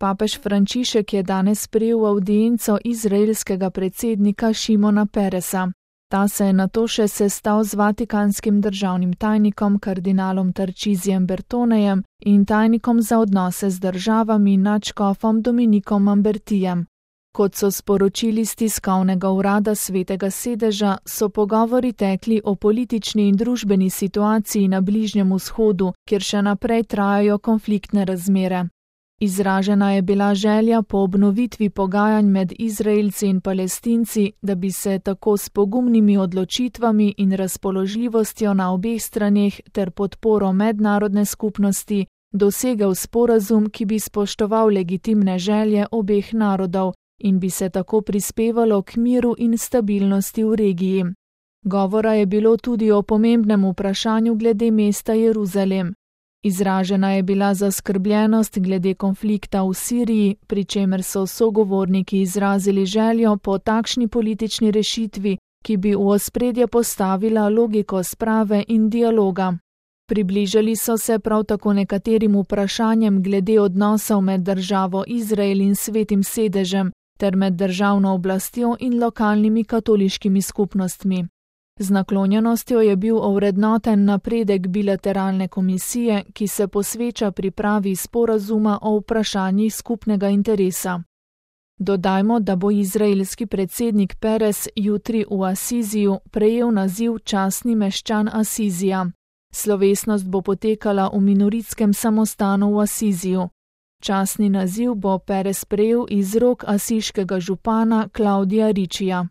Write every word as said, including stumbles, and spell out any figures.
Papež Frančišek je danes sprejel avdienco izraelskega predsednika Šimona Peresa. Ta se je nato še sestal z vatikanskim državnim tajnikom kardinalom Tarčizijem Bertonejem in tajnikom za odnose z državami nadškofom Dominikom Mambertijem. Kot so sporočili z tiskovnega urada Svetega sedeža, so pogovori tekli o politični in družbeni situaciji na Bližnjem vzhodu, kjer še naprej trajajo konfliktne razmere. Izražena je bila želja po obnovitvi pogajanj med Izraelci in Palestinci, da bi se tako s pogumnimi odločitvami in razpoložljivostjo na obeh straneh ter podporo mednarodne skupnosti dosegel sporazum, ki bi spoštoval legitimne želje obeh narodov in bi se tako prispevalo k miru in stabilnosti v regiji. Govora je bilo tudi o pomembnem vprašanju glede mesta Jeruzalem. Izražena je bila zaskrbljenost glede konflikta v Siriji, pri čemer so sogovorniki izrazili željo po takšni politični rešitvi, ki bi v ospredje postavila logiko sprave in dialoga. Približali so se prav tako nekaterim vprašanjem glede odnosov med državo Izrael in Svetim sedežem ter med državno oblastjo in lokalnimi katoliškimi skupnostmi. Z naklonjenostjo je bil ovrednoten napredek bilateralne komisije, ki se posveča pripravi sporazuma o vprašanjih skupnega interesa. Dodajmo, da bo izraelski predsednik Peres jutri v Asiziju prejel naziv častni meščan Asizija. Slovesnost bo potekala v minoritskem samostanu v Asiziju. Častni naziv bo Peres prejel iz rok asiškega župana Klaudija Ričija.